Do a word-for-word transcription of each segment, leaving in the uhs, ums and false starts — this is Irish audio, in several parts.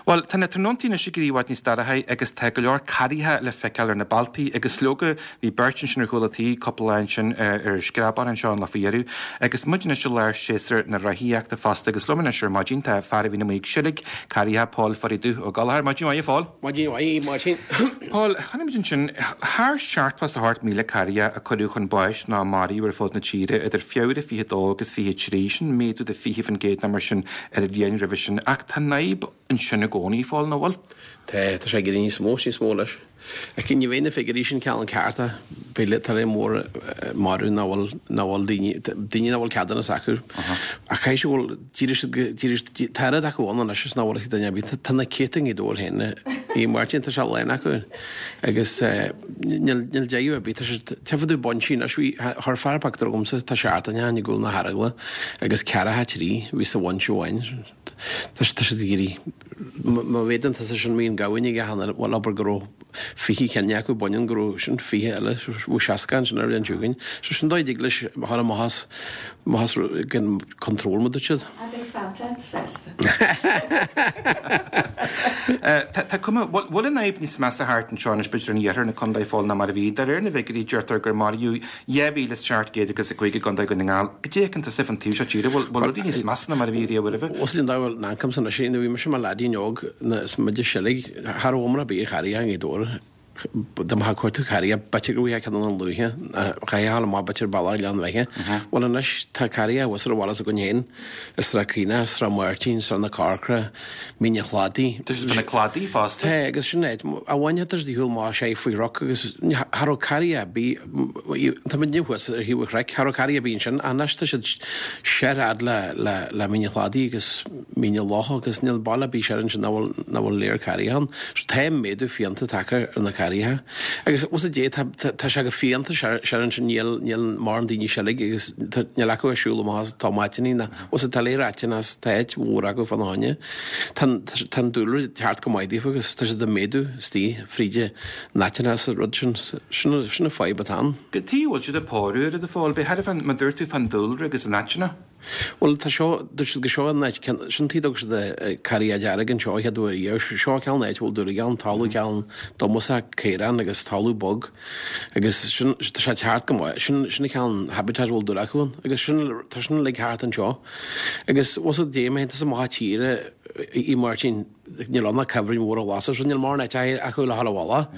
Bhuel, tá na tráthnóntaí anois ag éirí i bhfad níos dorchaí agus tá go leor carraithe le feiceáil ar na bealtaí agus leoga bhí beirt ansin ar chúl an tí cúpla lá ansin ar ar screabán anseo an lá faoi dheireadh agus muid anois i lár séasúr na reathaíochta fosta agus liom anois ar maidin tá fear a bhíonn amuigh ag seilg carraithe Paul Pháidí Dubh Ó Gallchóir. Maidin mhaith a Phóil. Maidin mhaith, Máirtín. Paul, chonaic muid ansin thar seachtó is a hocht míle carraithe a cuireadh chun báis nó maraíodh ar fud na tíre idir Feabhra fiche dó agus fiche trí, sin méadú de fiche faoin gcéad nó mar sin ar an bhliain roimhe sin ach tá an fhadhb ansin i gcónaí, a Phóil, nach bhfuil? Tá, tá sé ag éirí níos mó is níos mó leis. Ach ní bheidh na figiúirí sin ceann ceart, b'fhéidir tá léir mór marbh nach bhfuil, nach bhfuil daoine, daoine nach bhfuil ceadúnas acu. Ach caithfidh sé go bhfuil, d'éirigh siad go, d'éirigh siad, tá oiread acu ann anois is nach bhfuil ach duine ar bith. Tá na céadta i nGaoth Dobhair féin, a Mháirtín, tá sé lán acu agus níl, níl deireadh ar bith. Tá siad, tchífidh tú binsí anois, bhí, chuir fear pictiúr chugamsa, tá seachtain ó shin i gcúl na hEaragla agus ceathracha trí a bhí sa bhinse amháin. Tá siad ag éirí, má mhéadann tusa sin bhí an gamhain aige cheana, bhuel abair go raibh fiche ceann acu baineann go raibh sin fiche eile, bhí seasca ansin ar an bhliain seo chugainn. So sin dóigh a dtig leis a chur amach as, amach as gan control mar a dúirt siad. A bheidh Santa sásta. Tá cuma, bhfuil an fhadhb níos measa thart anseo anois b'fhéidir in iarthar na contae a Phóil ná mar a bhí. De réir na bhfigiúirí deirtear gur maraíodh dhá mhíle is seacht gcéad agus a cúig i gContae Dhún na nGall. Cad é a fheiceann tusa fán taobh seo tíre? Bhfuil bhfuil rudaí níos measa ná mar a bhí riamh roimhe? Bhuel sin dá bhfuil in ancam san anois, nuair a bhí mise i mo leaidín óg is muid ag seilg, cha raibh iomrá ar bith ar charraithe i nGaoth Dobhair. Dá mbeadh ag cuartú carraithe, b'fhéidir go bhfaighfeá ceann ann luaithe, chaithfeá a ghabháil amach b'fhéidir bealach Ghleann Bheithe. Bhuel anois tá carraithe thuas ar an bhaile s'againn féin, i Srath Caonach, Srath Máirtín, Srath na Corcra, Mín an Chladaigh. Tá siad fá na cladaí fosta. Tá, agus sin é. A bhain tá siad ar shiúl amach sé faoi chnoc agus cha raibh carraithe ar bith, tá muidne thuas ar thaobh an chnoic, cha raibh carraithe ar bith ansin, ach anois tá siad soir fhad le, le, le Mín an Chladaigh agus Mín an Locha agus níl baile ar bith soir ansin nach bhfuil, nach bhfuil léir carraithe ann. So tá méadú fiánta tagtha ar na carraithe. Agus bhfuil a fhios agat, tá, tá, tá sé go fiánta soir, soir ansin, níl, níl mórán daoine ag seilg agus tá, níl acu ag siúl amach as tomáitíní ná, bhfuil a fhios agat, tá léir áiteanna as, tá áit mhór acu fána choinne. Tá an dúlra ag teacht go maith daofa agus tá siad ag méadú istigh fríd na áiteanna is an rud sin. Sin an fadhb atá ann. Cad chuige a bhfuil siad ag pórú oiread a Phóil, b'fhéidir fán, mar dúirt tú fán dúlra agus an áiteanna. Bhuel tá seo, dúirt siad go seo an áit, sin an tuige a dtug siad Carraig Dearg anseo an chéad uair riamh. Seo ceann áit a bhfuil dúlra ann, talamh ceann dómasach caorán agus talamh bog agus sin, tá sé ag teacht go maith, sin, sin an ceann habitat a bhfuil dúil acu ann agus sin, tá sin uilig thart anseo. Agus bhfuil a fhios agat dé má théann tusa amach tíre a Mháirtín, níl ann ach cuibhrinn mhóra ghlasa so níl mórán áite acu le dhul i bhfolach.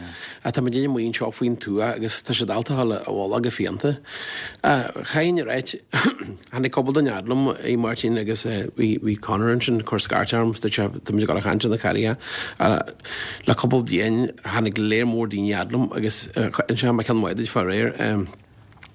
Ach tá muidinne amuigh anseo faoin tuath agus tá siad ábalta dhul i bhfolach go fiánta. Chaithfinn a ráit, tháinig cúpla duine fhad liom, a Mháirtín, agus bhí bhí Conor ansin ag cur scairt orm, dúirt sé tá muid ag dul a chaint ar na carraithe. Le cúpla bliain tháinig léir mór daoine fhad liom agus inseoidh mé ceann maith duit fá réir.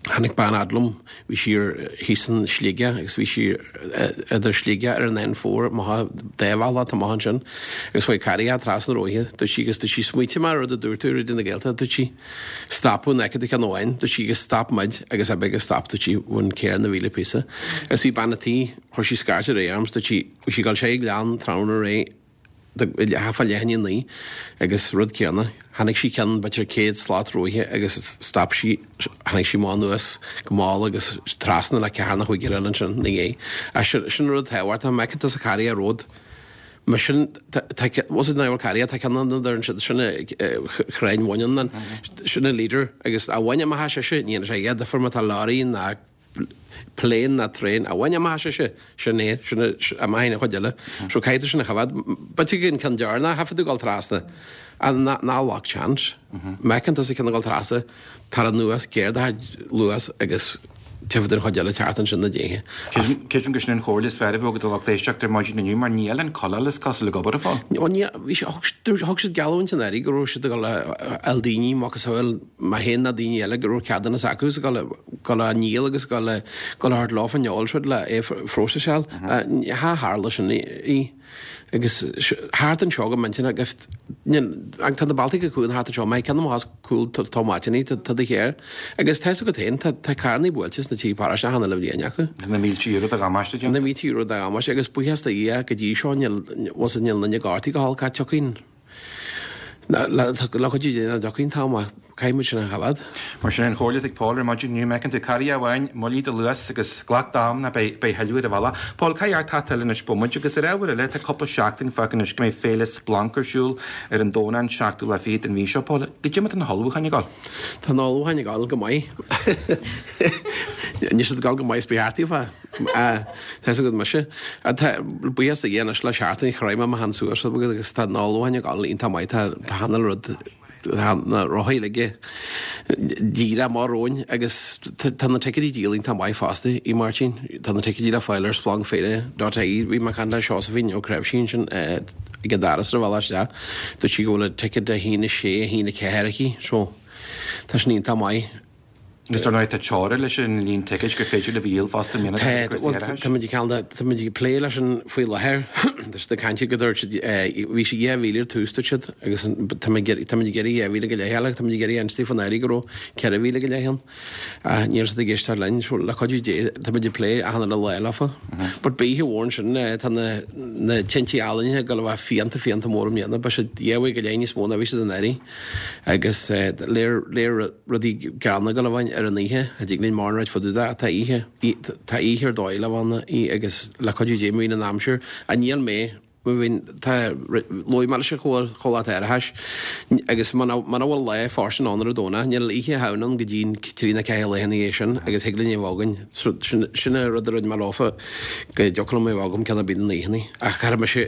Tháinig bean fhad liom, bhí sí ar thíos in Sligeach agus bhí sí idir Sligeach ar an N four amach dá bhealach amach ansin agus chuaigh carraithe trasna róithe, dúirt sí agus dúirt sí smaointigh mé ar rud a dúirt tú ar Raidió na Gaeltachta, dúirt sí stopadh an fheiceann tú ceann amháin, dúirt sí agus stop muid agus ab agus stop dúirt sí bhain céir na mhíle píosa agus bhí bean a' tí, chuir sí scairt ar aghaidh orm 's dúirt sí bhí sí ag dul sé ag gleann tráthnóna aréir leath fá leath i ndiaidh a naoi agus rud céanna, chonaic sí ceann b'fhéidir céad slat róithe agus stop sí, tháinig sí amach anuas go mall agus trasna le ceathair nó chúigear eile ansin ina dhiaidh. Ach sin, sin rud tábhachtach, má fheiceann tusa carraig ar ród, mar sin, tá, tá, bhfuil a fhios agat ná carraig, tá ceann ann a deireann siad, sin crainn bhaineann, sin an leader agus a bhain amach as sise, ní dhéanann sé a dhath difir má tá leoraí ná plane ná traein a bhain amach as sise, sin é, sin amach an chuid eile. So caithfidh tú sin a choimhéad. B'fhéidir go an ceann deireanach, chaithfidh tú dul trasna. Ná luck chance. Má fheiceann tusa ceann ag dul trasna, tar anuas, géar do chuid luas agus tiocfaidh an chuid eile thart ansin na déithe. Creidim gur sin an chomhairle is fearr a bheadh ag do lucht éisteachta ar maidin inniu mar níl an codladh is cosúil ag obair ar fáil. Ó ní, bhí sé, thug siad geallúint an Aire go raibh siad ag dul a fháil daoine, macasamhail mé féin ná daoine eile go raibh ceadúnas acu is ag dul a dul á ndíol agus ag dul a dul a thabhairt leo an eolas rud le é a phróiseáil. Cha tharla sin í. Agus thart anseo go minic agus tá na bealtaí go cuan thart anseo, má ceann amach as cúl tomáitíní tá do chéir. Agus tá a fhios agat féin, tá carrannaí buailte sna tithe paróiste achan uile bhliain acu. Agus na mílte euro de dhamáiste déanta. Na mílte euro de dhamáiste agus buíochas do Dhia go dtí seo níl, bhfuil a fhios agat, níl duine gortaithe go holc ach tiocfaidh le cuidiú Dé nach dtiocfaidh an t-am ach caithfidh muid sin a choimeád. Mar sin an chomhairle ag Paul ar maidin inniu, má fheiceann tú carraig amháin, moilligh do luas agus glac d'am ná beidh thuilleadh ar an bhealach. Paul, caithfidh ort teacht anois bomaite agus ar ábhar eile tá cúpla seachtain fágtha anois go mbeidh Féile Splanc ar siúl ar an Domhnach an seachtú lá fichead den mhí seo. Paul, goidé mar tá na hullmhúcháin ag dul? Tá na hullmhúcháin ag dul go maith. Níl siad ag dul go maith is ba cheart daofa. Tá fhios agat mise. Tá buíochas do Dhia anois le seachtain chroith mé mo cheann suas agus tá na hullmhúcháin ag dul iontach maith. Tá tá achan rud tá na rothaí uilig díreach amach romhainn agus tá na ticéidí díol iontach maith fosta, a Mháirtín. Tá na ticéidí le fáil ar splancfhéile dot ie. Bhí mé ag caint le Seosaimhín Ó Creabhsí ansin ag an doras ar an bhealach isteach. Dúirt sí go bhfuil an ticéad a haon a sé, a haon a ceathair aici so tá sin iontach maith. Agus dar ndóigh tá teora leis an líon ticéid gur féidir libh a dhíol fosta i mbliana Tá, bhuel, tá muid ag ceann de, tá muid ag plé leis an faoi láthair. Tá siad ag caint go dúirt siad, bhí sé dhá mhíle ar tús dúirt siad agus tá muid ag tá muid ag iarraidh dhá mhíle go leith eile, tá muid ag iarraidh inste faoin áirithe go raibh ceithre mhíle go leith ann. Ach níl siad ag éisteacht linn, so le cuidiú Dé tá muid ag plé achan uile lá leofa. But beidh oíche mhór ansin, tá na na tintí ealaíne ag dul a bheith fiánta fiánta mór i mbliana, beidh siad dhá mhaith go leith níos mó ná bhí siad anuraidh agus léir léir rudaí gránna ag dul a bheith ar an oíche, a dtig linn mórán a ráit fá dtaobh de, tá oíche, tá oíche ar dóigh le bheith ann í agus le cuidiú Dé má bhíonn an aimsir, a níl mé, má bhíonn, tá, luaigh mé leis an chomhlacht árachais agus muna bhfuil lá fóirstean ann ar an Domhnach, níl oíche Shamhna ann go dtí an trí nó ceathair lá ina dhiaidh sin agus thig linn é a bheith againn. So, sin, sin an rud a rinne mé leofa, go dtiocfadh liom é a bheith agam ceann ar bith de na oícheanna. Ach caithfidh mise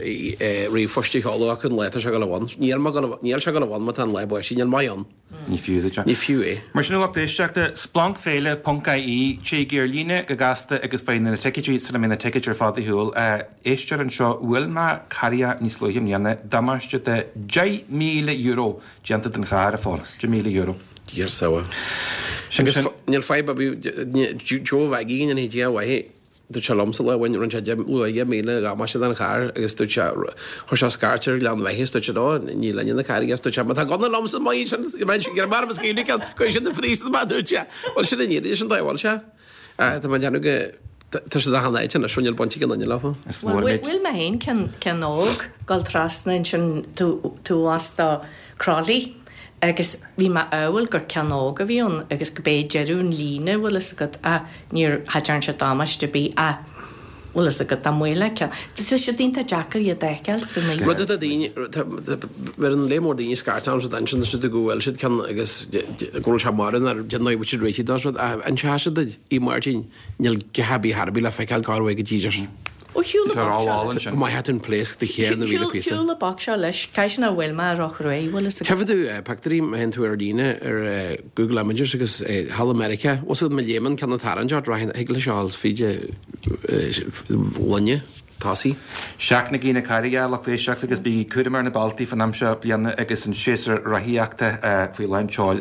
ríomhphost a sheoladh acu an lá atá sé ag dul a bheith ann. Níl mé ag dul a, níl sé ag dul a bheith ann má tá an lá báistí, níl maith ann. Ní fiú duit é. Ní fiú é. Mar sin a lucht éisteachta, splancfhéile ponc ie, téigí ar líne go gasta agus faigh na ticéidí sula mbeidh na ticéid ar fad ar shiúl. Éisteoir anseo, bhuail mé carraig níos luaithe i mbliana, damáiste de deich míle euro déanta don charr, a Phóil. Deich míle euro. Dia ár sábháil. Agus níl fadhb ar bith, Joe Mhaggie, go ndéanfaidh Dia a mhaith, Dúirt sé liomsa lá amháin, rinne sé deich, luath deich míle damáiste don charr agus dúirt sé, chuir sé scairt ar Ghleann Bheithe is dúirt sé, Ó, ní linne na carraige is dúirt sé, má tá gunna liomsa maith sin, bheinn ag iarraidh maram is scaoileadh ceann, cuirfidh siad na fríosta amach, dúirt sé. Bhuel, sin an fhírinne, sin dóigh a bhfuil sé. Tá mé ag déanamh go, tá siad achan áit anois, níl baint ag aon duine leofa. Is mór Bhuel, bhuail mé féin ceann, ceann óg, dul trasna ansin taobh thuas do Crolly agus bhí mé a shamhail gur ceann óg a bhí ann agus go b'é deireadh an líne bhfuil fhios agat ach níor cha dtearn sé damáiste ar bith ach bhfuil fhios agat dá mbuailfeá ceann. Tá sé iontach deacair iad a fheiceáil san oíche. Rud atá daoine, tá, bheireann lear mór daoine scairt ormsa ansin tá siad go bhfuil siad ceann agus go bhfuil sé marbh nár déan nó bhfuil siad réitithe dó rud ach an sea duit, a Mháirtín, níl gach ar bith thar bith le feiceáil cá raibh go dtí just Ó shiúl Tá an boc seo rámháil leis. ansin. Go maith tú an pléasc de chéir na mhíle píosa. Shiúl an boc seo leis. Caithfidh sin a bhfuil mé ar Roch Ruaidh, bhfuil fhios agat. Tchífidh tú pictiúirí má théann tú ar líne ar Google Images agus thall i Meiriceá, bhfuil fhios agat má léimeann ceann ag tarraingt ort, rachaidh, thig leis a dhul fríd ghloine tosaigh. Seachnaigí na carraige, a lucht éisteachta, agus bígí cúramach ar na bealtaí faoin am seo bliana agus an séasúr rothaíochta faoi lán tseoil.